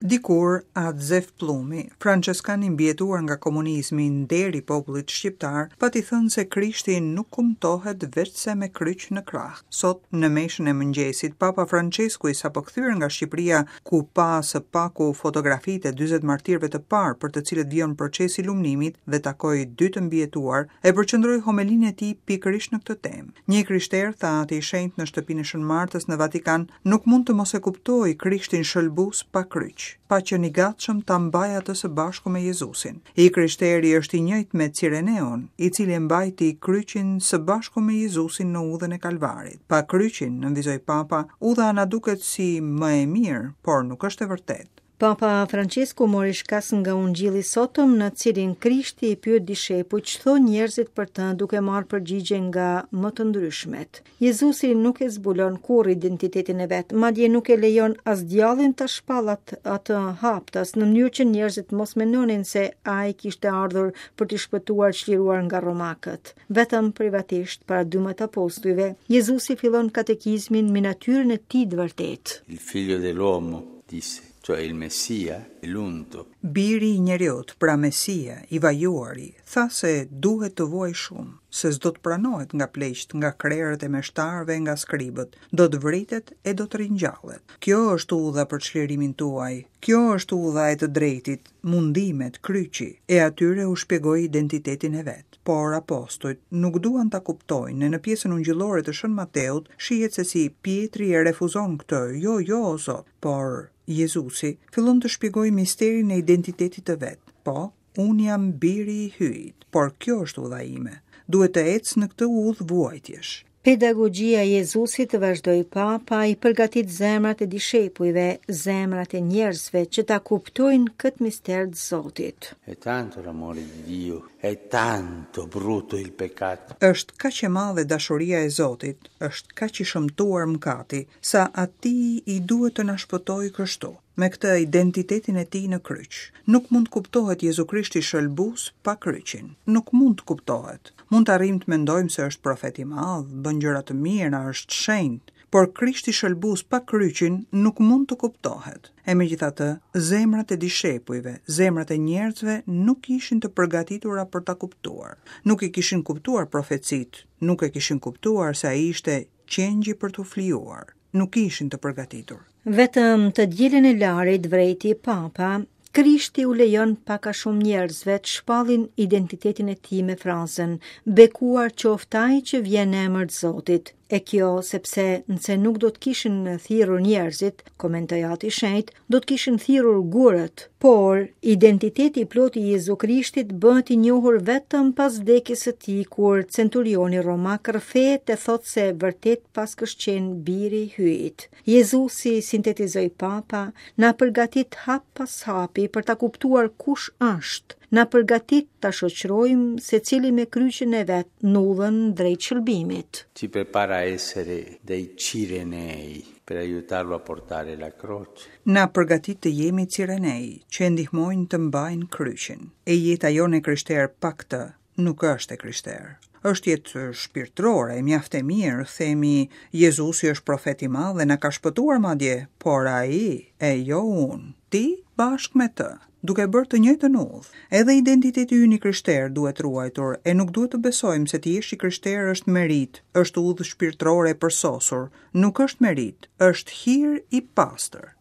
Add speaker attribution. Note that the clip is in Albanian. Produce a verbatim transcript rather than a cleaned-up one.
Speaker 1: Dikur, At Zef Pllumi, françeskan i mbijetuar nga komunizmi, nderi i popullit shqiptar, pati thënë se Krishti nuk kumtohet veçse me kryq në krah. Sot, në meshën e mëngjesit, Papa Francesku i sapo kthyer nga Shqipëria, ku pa së paku fotografitë e dyzet martirëve të parë për të cilët vijon procesi i lumnimit dhe takoi dy të mbijetuar, e përqendroi homelinë e tij pikërisht në këtë temë. Një i krishter, tha Ati i Shenjtë në shtëpinë e Shën Martës në Vatikan, nuk mund të mos e kuptojë Krishtin shëlbues pa kryq, pa qenë i gatshëm ta mbajë atë së bashku me Jezusin. I krishteri është i njëjtë me Cireneun, i cili e mbajti kryqin së bashku me Jezusin në udhën e Kalvarit. Pa kryqin, nënvizoi Papa, udha na duket si më e mirë, por nuk është e vërtetë.
Speaker 2: Papa Francesku mori shkas nga ungjilli sotëm, në cilin Krishti i pyet dishepujt ç'thonë njerëzit për të, duke marrë përgjigje nga më të ndryshmet. Jezusi nuk e zbulon kurrë identitetin e vet, madje nuk e lejon as djallin ta shpallat atë haptas, në mënyrë që njerëzit mos mendonin se ai kishte ardhur për t'i shpëtuar çliruar nga romakët. Vetëm privatisht para dymbëdhjetë apostujve, Jezusi fillon katekizmin me natyrën e tij të vërtetë.
Speaker 3: Il figlio dell'uomo, disse, cioè il Messia, l'unto.
Speaker 1: Biri i njeriut, pra Mesia, i vajuari, tha se duhet të vuaj shumë, se s'do të pranohet nga pleqt, nga krerët e meshtarëve, nga skribët, do të vritet e do të ringjallet. Kjo është udha për çlirimin tuaj, kjo është udha e të drejtit, mundimet, kryqi, e atyre u shpjegoi identitetin e vet. Por apostujt nuk duan ta kuptojnë, në pjesën ungjillore të Shën Mateut shihet se si Pietri e refuzon këtë, jo, jo, o Zot, por Jezusi fillon të shpjegojë misterin e identitetit të vet. Po, unë jam biri i Hyjit, por kjo është udha ime. Duhet të ec në këtë udhë vuajtjesh.
Speaker 2: Pedagogjia e Jezusit, vazhdoi Papa, i përgatit zemrat e dishepujve, zemrat e njerëzve që ta kuptojnë këtë mister të Zotit.
Speaker 3: È tanto l'amore di Dio, è tanto brutto il peccato.
Speaker 1: Është kaq e madhe dashuria e Zotit, është kaq i shëmtuar mëkati, sa atij i duhet të na shpëtojë kështu, me këtë identitetin e tij në kryq. Nuk mund të kuptohet Jezu Krishti shëlbues pa kryqin. Nuk mund të kuptohet. Mund të arrijmë të mendojmë se është profet i madh, bën gjëra të mira, është shenjt, por Krishti shëlbues pa kryqin nuk mund të kuptohet. E megjithatë, zemrat e dishepujve, zemrat e njerëzve nuk ishin të përgatitura për ta kuptuar. Nuk i kishin kuptuar profecitë, nuk e kishin kuptuar se ai ishte qengji për t'u flijuar. Nuk ishin të përgatitur.
Speaker 2: Vetëm të dielën e Larit, vrejti Papa, Krishti u lejon pak a shumë njerëzve të shpallin identitetin e tij me frazën Bekuar qoftë ai që vjen në emër të Zotit. E kjo sepse nëse nuk do të kishin thirrur njerëzit, komentoi Ati i Shenjt, do të kishin thirrur gurët. Por identiteti i plotë i Jezu Krishtit bëhet i njohur vetëm pas vdekjes së tij, kur centurioni romak rrëfehet e thotë se vërtet paskësh qenë biri i Hyjit. Jezusi, sintetizoi Papa, na përgatit hap pas hapi për ta kuptuar kush është, na përgatit ta shoqërojmë secili me kryqin e vet në udhën drejt shëlbimit.
Speaker 3: Ci prepara a essere dei Cirenei per aiutarlo a portare la croce.
Speaker 1: Na përgatit të jemi Cirenej, që e ndihmojnë të mbajnë kryqin. E jeta jonë e krishterë pa këtë nuk është e krishterë. Është jetë shpirtërore, mjaft e mirë, themi Jezusi është profet i madh dhe na ka shpëtuar madje, por ai e jo unë, ti bashkë me të, duke bërë të njëjtën udhë. Edhe identiteti ynë i krishterë duhet ruajtur, e nuk duhet të besojmë se të jesh i krishterë është merit, është udhë shpirtërore e përsosur, nuk është merit, është hir i pastër.